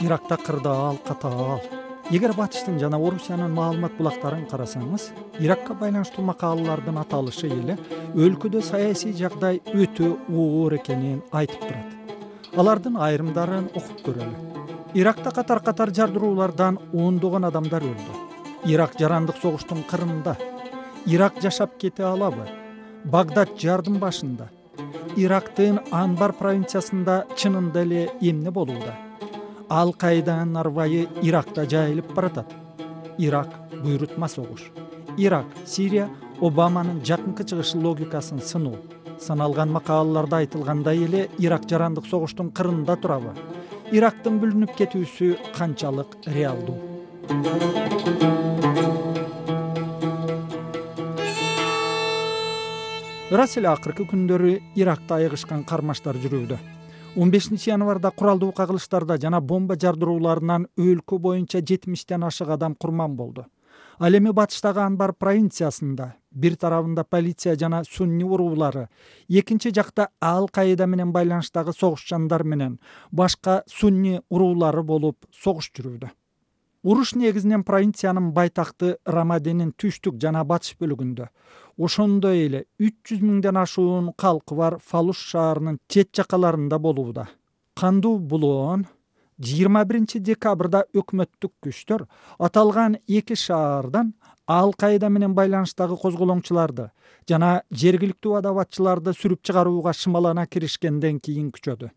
Иракта кырдаал катаал. Эгер Батыштын жана Орусиянын маалымат булактарын карасаңыз, Иракка байланыштуу макалалардын аталышы эле өлкөдө саясий жагдай өтө оор экенин айтып турат. Алардын айрымдарын окуп көрөлү. Иракта катар жардыруулардан ондогон адамдар өлдү. Ирак жарандык согуштун кырында. Ирак жашап кете алабы? Багдад жардын башында. Ирактын Анбар провинциясында чынында эле эмне болууда? Ал-Каиданын арбайы Иракта жайылып баратат. Ирак буйрутма согуш. Ирак, Сирия Обаманын жакынкы чыгышы логикасын сынуу. Саналган макалаларда айтылгандай эле Ирак жарандык согуштун кырында турабы? Ирактын бүлүнүп кетүүсү канчалык реалдуу? Ырас эле акыркы күндөрү Иракта айыгышкан кармаштар жүрүүдө. 15 январда куралдуу кагылыштарда жана бомба жардырууларынан өлкө боюнча 70тен ашык адам курман болду. Ал эми батыштагы Анбар провинциясында бир тарабында полиция жана сунни уруулары, экинчи жакта Ал-Каида менен байланыштагы согушчандар менен башка сунни уруулары болуп согуш жүрүүдө. Уруш негизинен провинциянын байтакты Рамадинин түштүк жана батыш бөлүгүндө, ошондой эле 300 миңден ашуун калкы бар Фалуш шаарынын чет жакаларында болууда. Кандуу булоон 21 декабрда өкмөттүк күчтөр аталган эки шаардан Ал-Каида менен байланыштагы козголоңчуларды жана жергиликтүү адабатчыларды сүрүп чыгарууга шымалана киришкенден кийин күчөдү.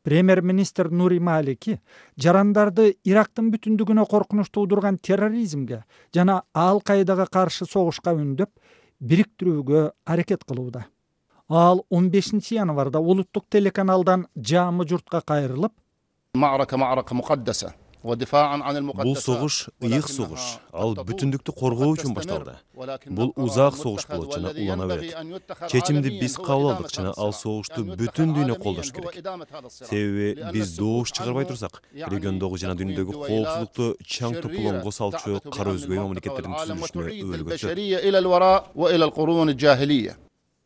Премьер-министр Нури Малики жарандарды Ирактын бүтүндүгүнө коркунуч туудурган терроризмге жана Ал-Каидага каршы согушка үндөп, бириктирүүгө аракет кылууда. Ал 15 январда улуттук телеканалдан жаамы журтка кайрылып, Бул согуш ыйык согуш. Ал бүтүндүктү коргоо үчүн башталды. Бул узак согуш болот жана улана берет. Чечимди биз кабыл алдык жана ал согушту бүтүн дүйнө колдош керек. Себеби биз доош чыгарбай турсак, региондогу жана дүйнөдөгү коопсуздукту чаң топулоңго салчу кара өзгөй мамлекеттердин түзүлүшүнө өлгөтөт.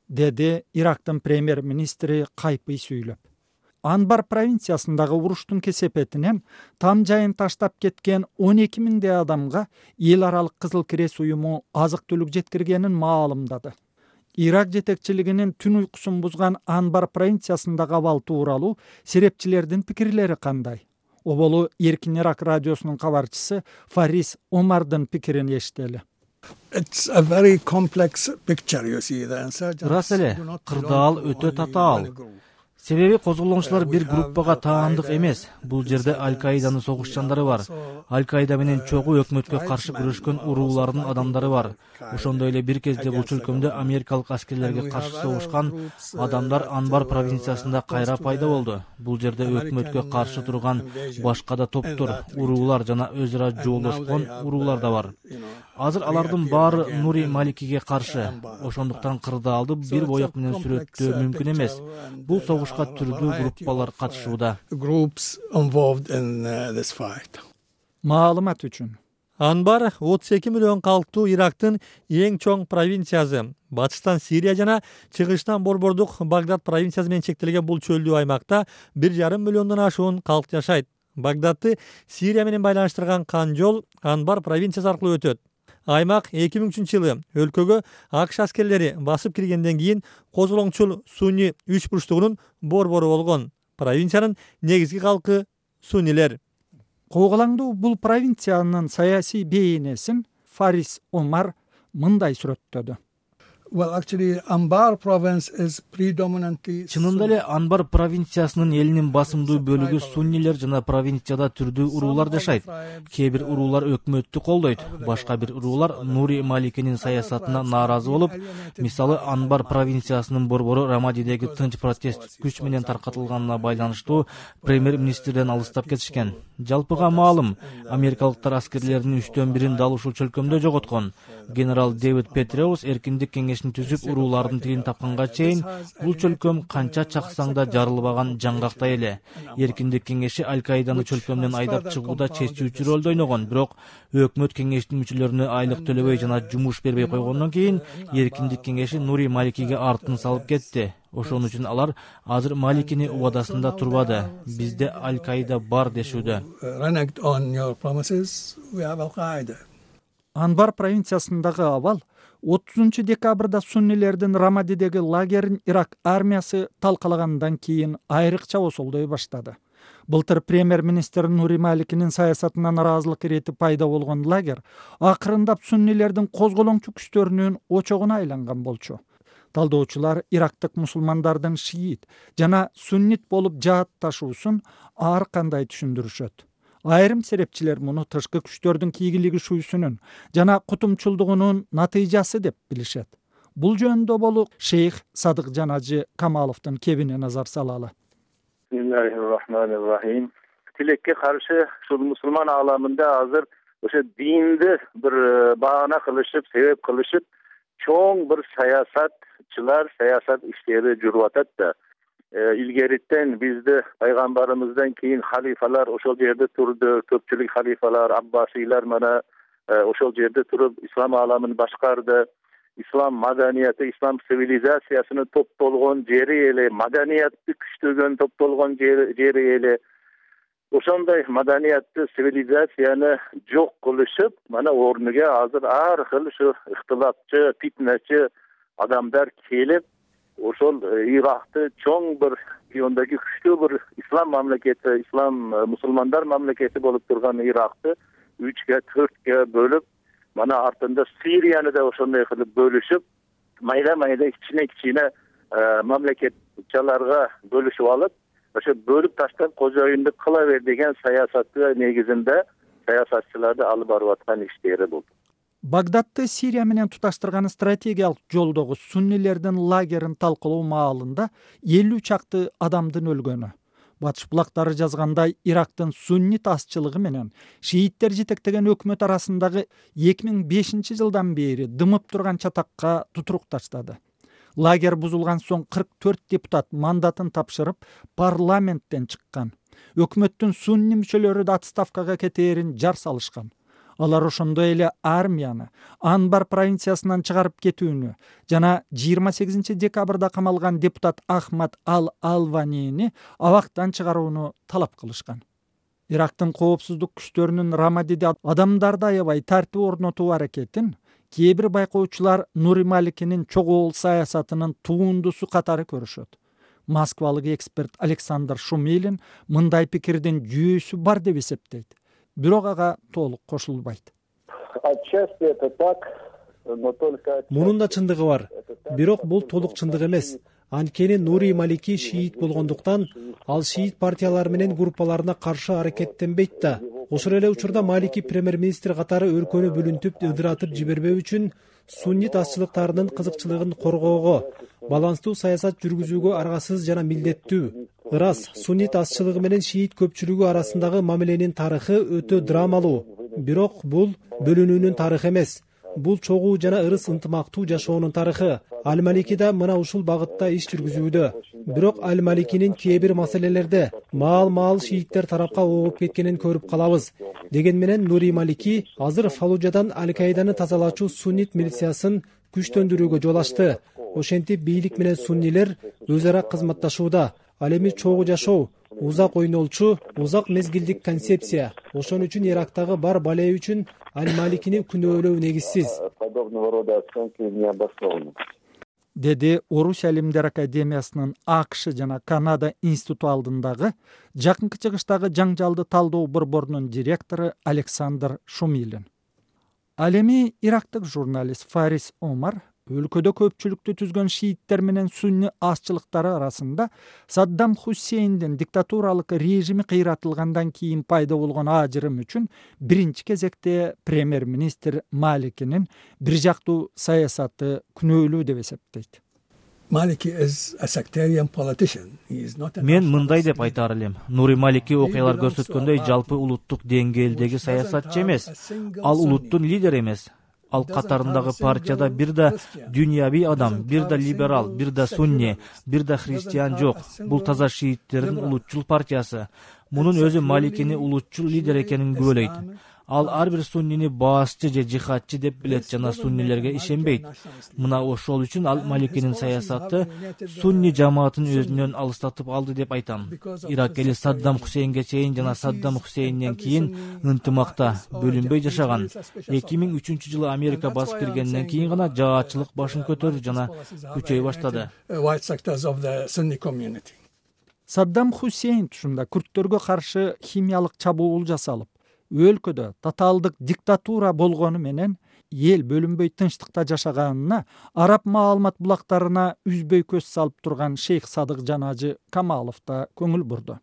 Деди Ирактын премьер-министри кайпый сүйлөп. Анбар провинциясындагы уруштун кесепетинен там жайын таштап кеткен 12 миңдей адамга эл аралык Кызыл Крест уюму азык-түлүк жеткиргенин маалымдады. Ирак жетекчилигинин түн уйкусун бузган Анбар провинциясындагы абал тууралуу серепчилердин пикирлери кандай? Оболу Эркин Ирак радиосунун кабарчысы Фарис Омардын пикирин эшители. Ырас эле, кырдаал өтө татаал. Себеби козголоңчулар бир группага таандык эмес. Бул жерде Ал-Каиданын согушчандары бар. Ал-Каида менен чогуу өкмөткө каршы күрөшкөн уруулардын адамдары бар. Ошондой эле бир кезде бул чөлкөмдө америкалык аскерлерге каршы согушкан адамдар Анбар провинциясында кайра пайда болду. Бул жерде өкмөткө каршы турган башка да топтор, уруулар жана өз ара жоолошкон уруулар да бар. Азыр алардын баары Нури Маликиге каршы. Ошондуктан кырдаалды бир боек менен сүрөттөө мүмкүн эмес. Бул согушка түрдүү группалар катышууда. Маалымат үчүн. Анбар 32 миллион калктуу Ирактын эң чоң провинциясы. Батыштан Сирия жана чыгыштан борбордук Багдад провинциясы менен чектелген бул чөлдүү аймакта 1,5 миллиондон ашуун калк жашайт. Багдадты Сирия менен байланыштырган кан жол Анбар провинциясы аркылуу өтөт. Аймак 2003-жылы өлкөгө АКШ аскерлери басып киргенден кийин козголоңчул сунни үч бурчтугунун борбору болгон. Провинциянын негизги калкы суннилер. Кооголаңдуу бул провинциянын саясий бейнесин Фарис Омар мындай сүрөттөдү. Чынында эле Анбар провинциясынын элинин басымдуу бөлүгү суннилер жана провинцияда түрдүү уруулар жашайт. Кээ бир уруулар өкмөттү колдойт, башка бир уруулар Нури Маликинин саясатына нааразы болуп, мисалы Анбар провинциясынын борбору Рамадидеги тынч протест күч менен таркатылганына байланыштуу премьер-министрден алыстап кетишкен. Жалпыга маалым, америкалыктар аскерлеринин 3/1 дал ушул чөлкөмдө жоготкон. Генерал Дэвид Петреус эркиндик кеңеши кеңешин түзүп уруулардын тилин тапканга чейин бул чөлкөм канча чаксаң да жарылбаган жаңгактай эле. Эркиндик кеңеши Аль-Каиданы чөлкөмдөн айдап чыгууда чечүүчү ролду ойногон, бирок өкмөт кеңештин мүчөлөрүнө айлык төлөбөй жана жумуш бербей койгондон кийин Эркиндик кеңеши Нури Маликиге артын салып кетти. Ошон үчүн алар азыр Маликини убадасында турбады. Бизде Аль-Каида бар дешүүдө. Анбар провинциясындагы абал 30 декабрда суннилердин Рамадидеги лагерин Ирак армиясы талкалагандан кийин айрыкча осолдой баштады. Былтыр премьер-министр Нури Маликинин саясатына наразылык иретип пайда болгон лагер акырындап суннилердин козголоңчу күчтөрүнүн очогуна айланган болчу. Талдоочулар ирактык мусулмандардын шиит жана суннит болуп жаатташуусун ар кандай түшүндүрүшөт. Айрым серепчилер муну тышкы күчтөрдүн кийгилигишүүсүнүн жана кутумчулдугунун натыйжасы деп билишет. Бул жөнүндө болуп шейх Садык Жанажы Камаловдун кебине назар салалы. Бисмиллахиррахманиррахим. Тилекке каршы ушул мусулман ааламында азыр ошо динди бир баана кылышып, себеп кылышып, чоң бир саясат иштери жүрүп атат да. Илгеритен бизде пайгамбарыбыздан кийин халифалар ошол жерде турду, көпчүлүк халифалар, аббасилар мана ошол жерде туруп ислам ааламын башкарды. Ислам маданияты, ислам цивилизациясыны топтолгон жери эле, маданиятты күчтөгөн топтолгон жери эле. Ошондой маданиятты, цивилизацияны жок кылышып, мана орнуга азыр ар кыл ушу ыктылапчы, фитнечи адамдар келип, ошол Иракты чоң бир региондогу күчтүү бир ислам мамлекети, ислам мусулмандар мамлекети болуп турган Иракты 3-ге, 4-ге бөлүп, мана артында Сирияны да ошондой кылып бөлүшүп, майда кичине мамлекетчаларга бөлүшүп алып, ошо бөлүп таштап кожоюндук кыла бер деген саясаты негизинде саясатчыларды алып барып аткан иштери болду. Багдадты Сирия менен туташтырган стратегиялык жолдогу суннилердин лагерин талкалоо маалында 50 чакты адамдын өлгөнү. Батыш булактары жазгандай, Ирактын суннит азчылыгы менен шииттер жетектеген өкмөт арасындагы 2005 жылдан бери дымып турган чатакка тутурук таштады. Лагер бузулган соң 44 депутат мандатын тапшырып, парламенттен чыккан. Өкмөттүн сунни мүчөлөрү да отставкага кетээрин жар салышкан. Алар ошондой эле армияны Анбар провинциясынан чыгарып кетүүнү жана 28 декабрда камалган депутат Ахмад Ал-Алванини абактан чыгарууну талап кылышкан. Ирактын коопсуздук күчтөрүнүн Рамадиде адамдарды аябай тартип орнотуу аракетин кээ бир байкоочулар Нури Маликинин чогуу саясатынын туундусу катары көрүшөт. Москвалык эксперт Александр Шумилин мындай пикирдин жүйөсү бар деп эсептейт. Бирок ага толук кошулбайт. Мунун да чындыгы бар. Бирок бул толук чындык эмес. Анткени Нури Малики шиит болгондуктан ал шиит партиялары менен группаларына каршы аракеттенбейт да. Ошол эле учурда Малики премьер-министр катары өлкөнү бүлүнтүп, ыдыратып жибербөө үчүн суннит азчылыктарынын кызыкчылыгын коргоого, баланстуу саясат жүргүзүүгө аргасыз жана милдеттүү. Ырас, суннит азчылыгы менен шиит көпчүлүгү арасындагы мамиленин тарыхы өтө драмалуу. Бирок бул бөлүнүүнүн тарыхы эмес. Бул чогуу жана ырыс ынтымактуу жашоонун тарыхы. Аль-Малики да мына ушул багытта иш жүргүзүүдө. Бирок Аль-Маликинин кээ бир маселелерде маал шииттер тарапка ооп кеткенин көрүп калабыз. Деген менен Нури Малики азыр Фаллужадан Аль-Каиданы тазалаачу суннит милициясын күчтөндүрүүгө жол ачты. Ошентип бийлик менен суннилер өз ара кызматташууда. Ал эми чогуу жашоо, узак ойнолчу, узак мезгилдик концепция. Ошон үчүн Ирактагы бар балээ үчүн Аль-Маликини күнөөлөө негизсиз. Деди Орус Алимдер Академиясынын АКШ жана Канада институту алдындагы жакынкы чыгыштагы жаңжалды талдоо борборунун директору Александр Шумилин. Ал эми ирактык журналист Фарис Омар өлкөдө көпчүлүктү түзгөн шииттер менен сунни азчылыктары арасында Саддам Хусейндин диктатуралык режими кыйратылгандан кийин пайда болгон ажырым үчүн биринчи кезекте премьер-министр Маликинин бир жактуу саясаты күнөөлүү деп эсептейт. Мен мындай деп айтаар элем. Нури Малики окуялар көрсөткөндөй жалпы улуттук деңгээлдеги саясатчы эмес. Ал улуттун лидери эмес. Ал катарындагы партияда бир да дүйнөви адам, бир да либерал, бир да сунни, бир да христиан жок. Бул таза шииттердин улутчул партиясы. Мунун өзү Маликини улутчул лидер экенин күбөлөйт. Ал ар бир суннини баасчы же жихадчы деп билет жана суннилерге ишенбейт. Мына ошол үчүн ал Маликинин саясаты сунни жамаатын өзүнөн алыстатып алды деп айтам. Ирак эли Саддам Хусейнге чейин жана Саддам Хусейнден кийин ынтымакта, бөлүнбөй жашаган. 2003-жылы Америка басып киргенден кийин гана жаачылык башын көтөрдү жана күчөй баштады. Саддам Хусейн тушунда күрттөргө каршы химиялык чабуул жасалып, өлкөдө тоталдык диктатура болгону менен эл бөлүнбөй тынчтыкта жашаганына араб маалымат булактарына үзбөй көз салып турган шейх Садык Жанажы Камалов да көңүл бурду.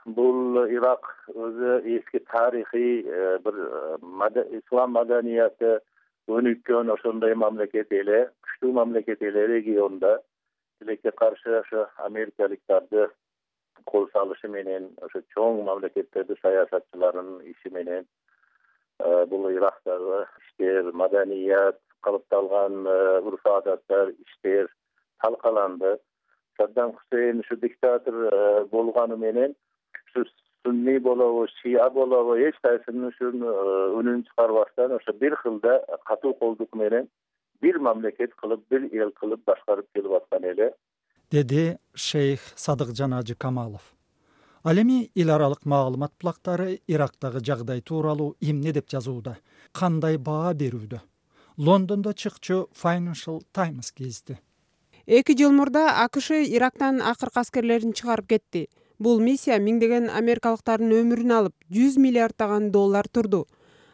Бул Ирак өзү эски тарыхый бир ислам маданияты өнүккөн ошондой мамлекет эле, күчтүү мамлекет эле региондо тилекке каршы ошо америкалыктарды кол салышы менен, ошо чоң мамлекеттерди саясатчылардын иши менен бул Ирактагы иштер, маданият, калыпталган урф-адаттар, иштер талкаланды. Саддам Хусейн ушу диктатор болгону менен ушу сунни болобу, шия болобу, эч кайсынын ушун үнүн чыгарбастан ошо бир кылда катуу колдук менен бир мамлекет кылып, бир эл кылып башкарып келип аткан эле, деди шейх Садык Жанажы Камалов. Ал эми эл аралык маалымат булактары Ирактагы жагдай тууралуу эмне деп жазууда, кандай баа берүүдө? Лондондо чыкчу Financial Times кезди. 2 жыл мурда АКШ Ирактан акыркы аскерлерин чыгарып кетти. Бул миссия миңдеген америкалыктардын өмүрүн алып, 100 миллиарддаган доллар турду.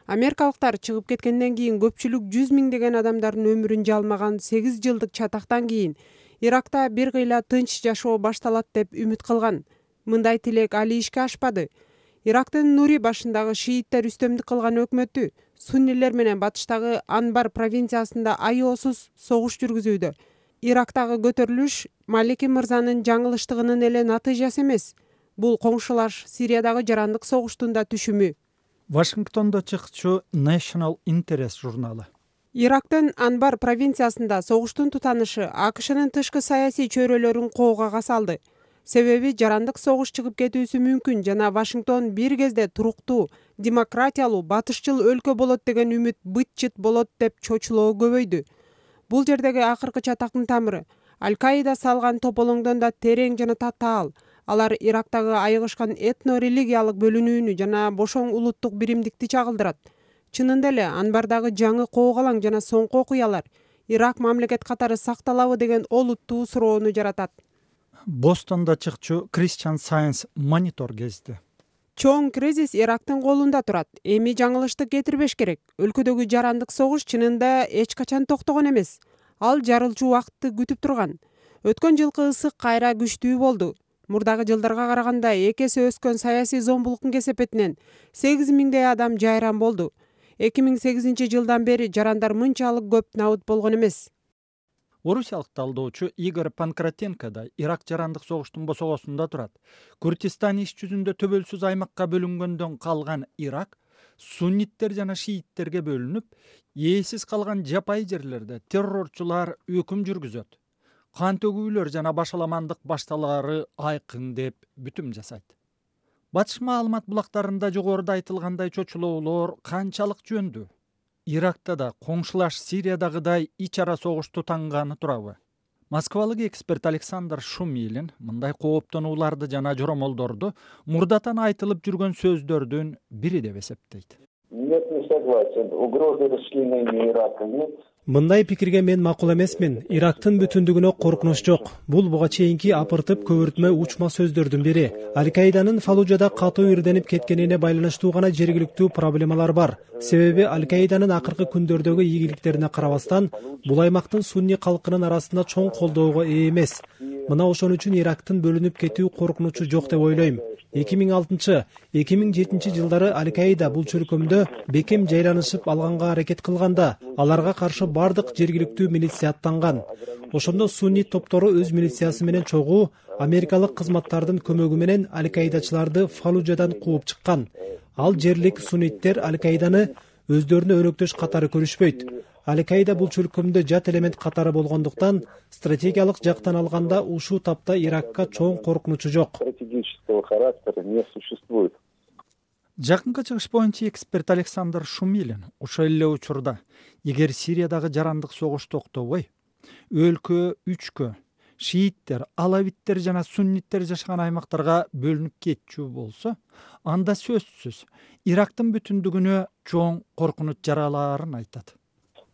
Америкалыктар чыгып кеткенден кийин көпчүлүк 100 миңдеген адамдардын өмүрүн жалмаган 8 жылдык чатактан кийин Иракта бир кыйла тынч жашоо башталат деп үмүт кылган. Мындай тилек али ишке ашпады. Ирактын Нури башындагы шииттер үстөмдүк кылган өкмөтү суннилер менен батыштагы Анбар провинциясында аеосуз согуш жүргүзүүдө. Ирактагы көтөрүлүш Малики мырзанын жаңылыштыгынын эле натыйжасы эмес. Бул коңшулаш Сириядагы жарандык согуштун да түшүмү. Вашингтондо чыкчу National Interest журналы. Ирактын Анбар провинциясында согуштун тутанышы АКШнын тышкы саясий чөйрөлөрүн коогага салды. Себеби жарандык согуш чыгып кетүүсү мүмкүн жана Вашингтон бир кезде туруктуу, демократиялуу, батышчыл өлкө болот деген үмүт быт-чыт болот деп чочулоо көбөйдү. Бул жердеги акыркы чатактын тамыры Аль-Каида салган тополоңдон да терең жана татаал. Алар Ирактагы айыгышкан этно-религиялык бөлүнүүнү жана бошоң улуттук биримдикти чагылдырат. Чынында эле Анбардагы жаңы коогалаң жана соңку окуялар Ирак мамлекет катары сакталабы деген олуттуу суроону жаратат. Бостонда чыкчу Christian Science Monitor кезди. Чоң кризис Ирактын колунда турат. Эми жаңылыштык кетирбеш керек. Өлкөдөгү жарандык согуш чынында эч качан токтогон эмес. Ал жарылчу убакытты күтүп турган. Өткөн жылкы ысык кайра күчтүү болду. Мурдагы жылдарга караганда 2 эсе өскөн саясий зомбулуктун кесепетинен 8 миңдей адам жайран болду. 2008 жылдан бери жарандар мынчалык көп набыт болгон эмес. Орусиялык талдоочу Игорь Панкратенко да Ирак жарандык согуштун босогосунда турат. Курдистан иш жүзүндө төбөлсүз аймакка бөлүнгөндөн калган Ирак сунниттер жана шииттерге бөлүнүп, ээсиз калган жапай жерлерде террорчулар өкүм жүргүзөт. Кан төгүүлөр жана башаламандык башталаары айкын деп бүтүм жасайт. Батыш маалымат булактарында жогоруда айтылгандай чочулоолор канчалык жөндүү? Иракта да коңшулаш Сириядагыдай ич ара согуш тутанганы турабы? Москвалык эксперт Александр Шумилин мындай кооптонууларды жана жоромолдорду мурдатан айтылып жүргөн сөздөрдүн бири деп эсептейт. Нет, не согласен. Угрозы расчленения Ирака нет. Мындай пикирге мен макул эмесмин. Ирактын бүтүндүгүнө коркунуч жок. Бул буга чейинки апыртып көбүртмө учма сөздөрдүн бири. Аль-Каиданын Фаллужада катуу ирденип кеткенине байланыштуу гана жергиликтүү проблемалар бар. Себеби Аль-Каиданын акыркы күндөрдөгү ийгиликтерине карабастан, бул аймактын сунни калкынын арасында чоң колдоого ээ эмес. Мына ошон үчүн Ирактын бөлүнүп кетүү коркунучу жок деп ойлойм. 2006-2007 жылдары Аль-Каида бул чөлкөмдө бекем жайланышып алганга аракет кылганда, аларга каршы бардык жергиликтүү милиция аттанган. Ошондо сунни топтору өз милициясы менен чогуу америкалык кызматтардын көмөгү менен Аль-Каидачыларды Фаллужадан кууп чыккан. Ал жерлик сунниттер Аль-Каиданы өздөрүнө өнөктөш катары көрүшпөйт. Аль-Каида бул чөлкөмдө жат элемент катары болгондуктан стратегиялык жактан алганда ушул тапта Иракка чоң коркунучу жок. Жакынкы чыгыш боюнча эксперт Александр Шумилин ошол эле учурда эгер Сириядагы жарандык согуш токтобой, өлкө үчкө шииттер, алавиттер жана сунниттер жашаган аймактарга бөлүнүп кетчү болсо, анда сөзсүз Ирактын бүтүндүгүнө чоң коркунуч жаралаарын айтат.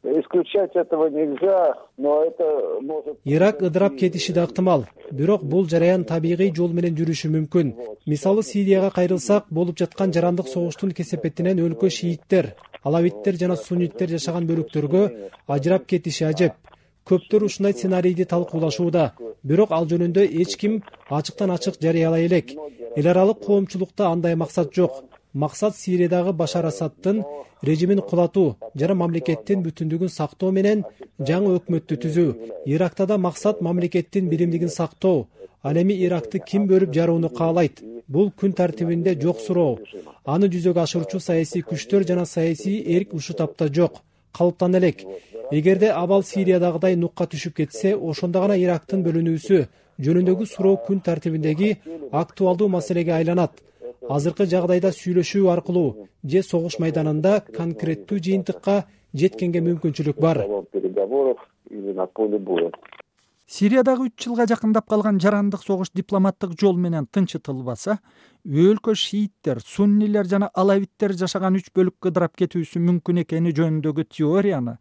Исключать этого нельзя, но это может... Ирак ыдырап кетиши да ыктымал, бирок бул жараян табигый жол менен жүрүшү мүмкүн. Мисалы Сирияга кайрылсак, болуп жаткан жарандык согуштун кесепетинен өлкө шииттер, алавиттер жана сунниттер жашаган бөлүктөргө ажырап кетиши ажеп. Көптөр ушундай сценарийди талкуулашууда, бирок ал жөнүндө эч ким ачыктан ачык жарыялай элек. Эл аралык коомчулукта андай максат жок. Максат Сириядагы Башар Асадтын режимин кулатуу жана мамлекеттин бүтүндүгүн сактоо менен жаңы өкмөттү түзүү. Иракта да максат мамлекеттин биримдигин сактоо. Ал эми Иракты ким бөлүп жарууну каалайт? Бул күн тартибинде жок суроо. Аны жүзөгө ашырчу саясий күчтөр жана саясий эрк ушул тапта жок. Калыптан элек. Эгерде абал Сириядагыдай нукка түшүп кетсе, ошондо гана Ирактын бөлүнүүсү жөнүндөгү суроо күн тартибиндеги актуалдуу маселеге айланат. Азыркы жагдайда сүйлөшүү аркылуу же согуш майданында конкреттүү жыйынтыкка жеткенге мүмкүнчүлүк бар. Сириядагы 3 жылга жакындап калган жарандык согуш дипломаттык жол менен тынчытылбаса, өлкө шииттер, суннилер жана алавиттер жашаган 3 бөлүккө ыдырап кетүүсү мүмкүн экени жөнүндөгү теорияны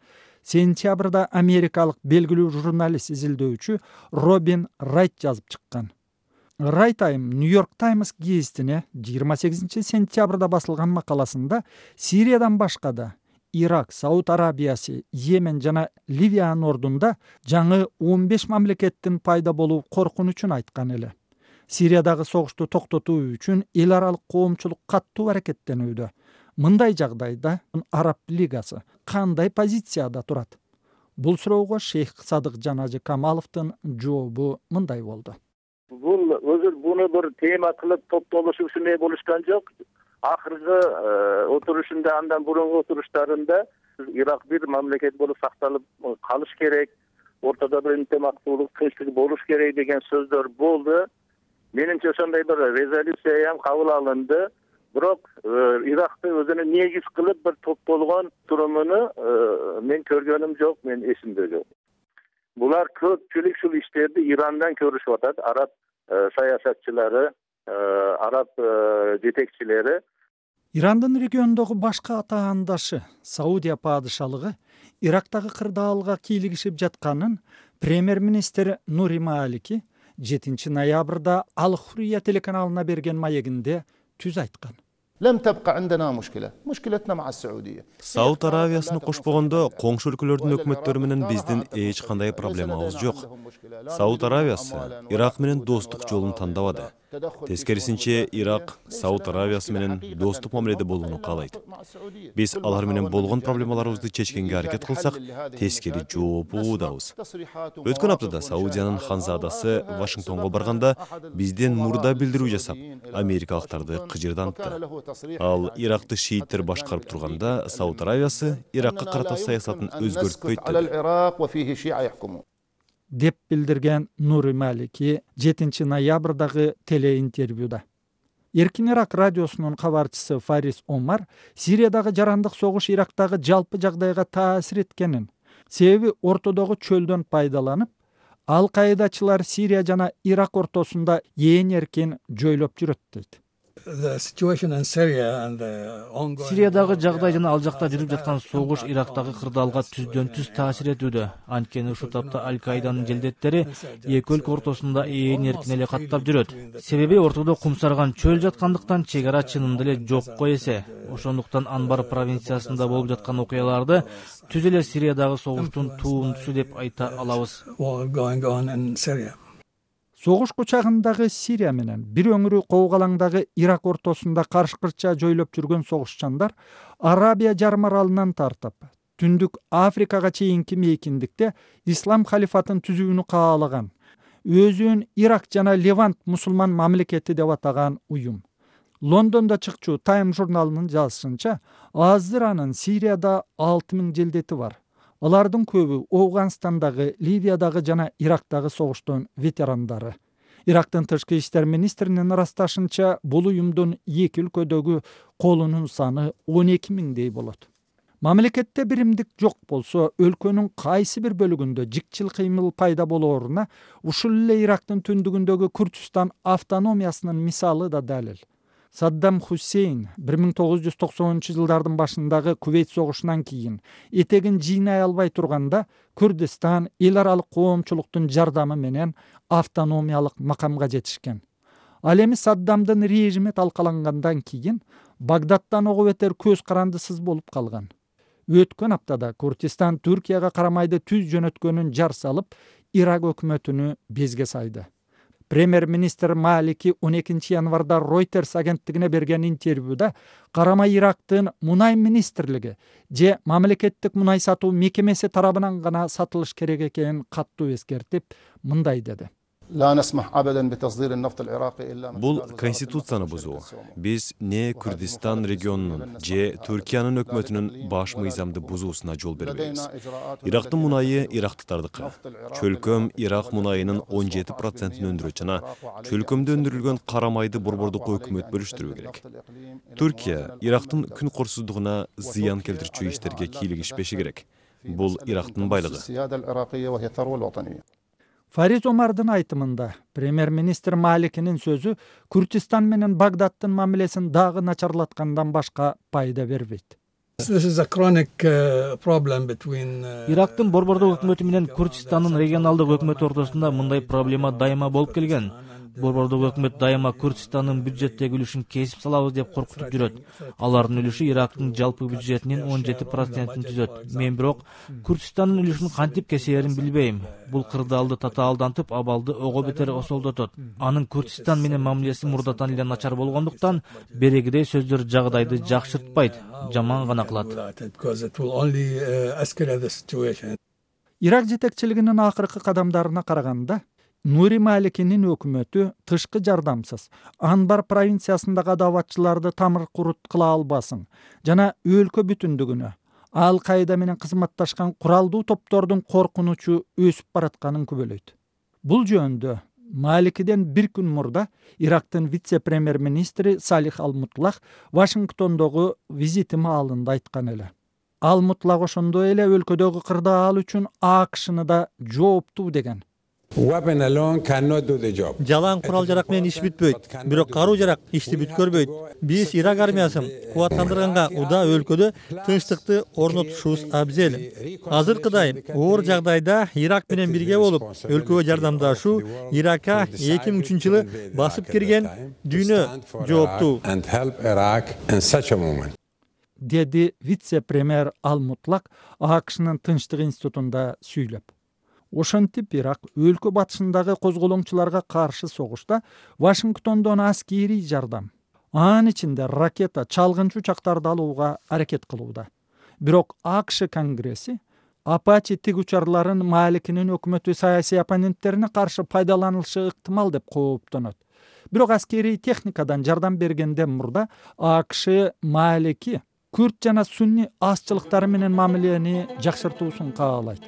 сентябрда америкалык белгилүү журналист изилдөөчү Робин Райт жазып чыккан. Райт айым Нью-Йорк Таймс гезитине 28 сентябрда басылган макаласында Сириядан башка да Ирак, Сауд Арабиясы, Йемен жана Ливиянын ордунда жаңы 15 мамлекеттин пайда болуу коркунучун айткан эле. Сириядагы согушту токтотуу үчүн эл аралык коомчулук каттуу аракеттенүүдө. Мындай жагдайда Араб лигасы кандай позицияда турат? Бул суроого Шейх Садык Жанажы Камаловдун жообу мындай болду. Бул өзү буну бир тема кылып топтолушуп ушундай болушкан жок. Акыркы отурушунда, андан бурунку отуруштарында Ирак бир мамлекет болуп сакталып калыш керек, ортодо бир интимактуулук, тынчтык болуш керек деген сөздөр болду. Менимче ошондой бир резолюция ham кабыл алынды. Бирок Иракты өзүнө негиз кылып бир топтолгон турумуну мен көргөнүм жок, мен эсимде жок. Булар көпчүлүк ушул иштерди Ирандан көрүшүп атат, араб саясатчылары, араб жетекчилери. Ирандын региондогу башка атаандашы Саудия падышалыгы Ирактагы кырдаалга кийлигишип жатканын премьер-министр Нури Малики 7 ноябрда Ал-Хурия телеканалына берген маегинде түз айткан. لم تبقى عندنا مشكلتنا مع السعودية. Сауд Аравиясын кошпогондо коңшу өлкөлөрдүн өкмөттөрү менен биздин эч кандай проблемабыз жок. Сауд Аравиясы Ирак менен достук жолун тандабады. Тескерисинче, Ирак Сауд Аравиясы менен достук мамиледе болууну каалайт. Биз алар менен болгон проблемаларыбызды чечкенге аракет кылсак, тескери жооп угуудабыз. Өткөн аптада Саудиянын ханзадасы Вашингтонго барганда бизден мурда билдирүү жасап, америкалыктарды кыжырдантты. Ал Иракты шииттер башкарып турганда, Сауд Аравиясы Иракка карата саясатын өзгөртпөйт деп билдирген Нури Малики 7 ноябрдагы телеинтервьюда. Эркин Ирак радиосунун кабарчысы Фарис Омар Сириядагы жарандык согуш Ирактагы жалпы жагдайга таасир эткенин, себеби ортодогу чөлдөн пайдаланып, Ал-Каидачылар Сирия жана Ирак ортосунда эң эркин жойлоп жүрөт дейт. Сириядагы жагдай жана ал жакта жүрүп жаткан согуш Ирактагы кырдаалга түздөн түз таасир этүүдө. Анткени ушул тапта Аль-Каиданын желдеттери эки өлкө ортосунда ээн эркин эле каттап жүрөт. Себеби ортодо кумсарган чөл жаткандыктан чегара чынында эле жокко эсе. Ошондуктан Анбар провинциясында болуп жаткан окуяларды түз эле Сириядагы согуштун туумдусу деп айта алабыз. Согуш кучагындагы Сирия менен бир өңүрү коогалаңдагы Ирак ортосунда каршы-кырча жойлоп жүргөн согушчандар Арабия жарым аралынан тартып, Түндүк Африкага чейинки мейкиндикте ислам халифатын түзүүнү каалаган, өзүн Ирак жана Левант мусулман мамлекети деп атаган уюм. Лондондо чыкчу Time журналынын жазышынча, азыр анын Сирияда 6000 желдети бар. Алардын көбү Афганстандагы, Ливиядагы жана Ирактагы согуштун ветерандары. Ирактын тышкы иштер министринин ырасташынча, бул уюмдун эки өлкөдөгү колунун саны 12 миңдей болот. Мамлекетте биримдик жок болсо, өлкөнүн кайсы бир бөлүгүндө жикчил кыймыл пайда болооруна ушул эле Ирактын түндүгүндөгү Күрдүстан автономиясынын мисалы да далил. Саддам Хусейн 1990-жылдардын башындагы Кувейт согушунан кийин этегин жыйнай албай турганда, Күрдүстан эл аралык коомчулуктун жардамы менен автономиялык макамга жетишкен. Ал эми Саддамдын режими талкалангандан кийин Багдадтан ого бетер көз карандысыз болуп калган. Өткөн аптада Күрдүстан Түркияга карамайды түз жөнөткөнүн жар салып, Ирак өкмөтүнү безге сайды. Премьер-министр Малики 12 январда Reuters агенттигине берген интервьюда карамай Ирактын мунай министрлиги же мамлекеттик мунай сатуу мекемеси тарабынан гана сатылыш керек экенин каттуу эскертип, мындай деди. Бул конституцияны бузуу. Биз не Күрдүстан регионунун же Түркиянын өкмөтүнүн баш мыйзамды бузуусуна жол бербейбиз. Ирактын мунайы ирактыктардыкы. Чөлкөм Ирак мунайынын 17%-ын өндүрөт жана чөлкөмдө өндүрүлгөн карамайды борбордук өкмөт бөлүштүрүү керек. Түркия Ирактын күн корсуздугуна зыян келтирүүчү иштерге кийлигишпеши керек. Бул Ирактын байлыгы. Фариз Омардын айтымында, премьер-министр Маликинин сөзү Күрдүстан менен Багдадтын мамилесин дагы начарлаткандан башка пайда бербейт. Ирактын борбордук өкмөтү менен Күрдүстандын регионалдык өкмөтү ортосунда мындай проблема дайыма болуп келген. Борбордук өкмөт дайыма Күрдүстандын бюджеттеги үлүшүн кесип салабыз деп коркутуп жүрөт. Алардын үлүшү Ирактын жалпы бюджетинин 17%-ын түзөт. Мен бирок Күрдүстандын үлүшүн кантип кесерин билбейм. Бул кырдаалды татаалдантып, абалды ого бетер осолдотот. Анын Күрдүстан менен мамилеси мурдатан эле начар болгондуктан, берегидей сөздөр жагдайды жакшыртпайт, жаман гана кылат. Ирак жетекчилигинин акыркы кадамдарына караганда, Нури Маликинин өкмөтү тышкы жардамсыз Анбар провинциясындагы адабатчыларды тамыр курут кыла албасын жана өлкө бүтүндүгүнө Ал-Каида менен кызматташкан куралдуу топтордун коркунучу өсүп баратканын күбөлөйт. Бул жөнүндө Маликиден бир күн мурда Ирактын вице-премьер-министри Салих Ал-Мутлах Вашингтондогу визити маалында айткан эле. Ал-Мутлах ошондой эле өлкөдөгү кырдаал үчүн АКШны да жооптуу деген. Жалаң курал жарак менен иш бүтпөйт, бирок каруу жарак ишти бүткөрбөйт. Биз Ирак армиясын кубаттандырганга уда өлкөдө тынчтыкты орнотушубуз абзел. Азыркыдай оор жагдайда Ирак менен бирге болуп, өлкөгө жардамдашуу Иракка 2003-жылы басып кирген дүйнө жооптуу. Деди вице-премьер Ал-Мутлак АКШнын Тынчтык институтунда сүйлөп. Ошентип Ирак өлкө батышындагы козголоңчуларга каршы согушта Вашингтондон аскерий жардам, анын ичинде ракета, чалгынчу учактарды алууга аракет кылууда. Бирок АКШ Конгресси Апачи тигучарларын Маликинин өкмөтү саясий оппоненттерине каршы пайдаланылышы ыктымал деп кооптонот. Бирок аскерий техникадан жардам бергенден мурда АКШ Малики күрд жана сунни азчылыктары менен мамилени жакшыртуусун каалайт.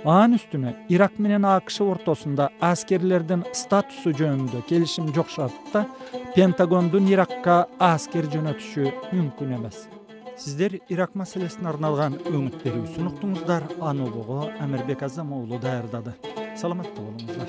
Анын үстүнө Ирак менен АКШ ортосунда аскерлердин статусу жөнүндө келишим жок шартта Пентагондун Иракка аскер жөнөтүшү мүмкүн эмес. Сиздер Ирак маселесине арналган өңүт берүүсүн уктуңуздар. Аны улугу Амирбек Азам уулу даярдады. Саламатта болуңуздар.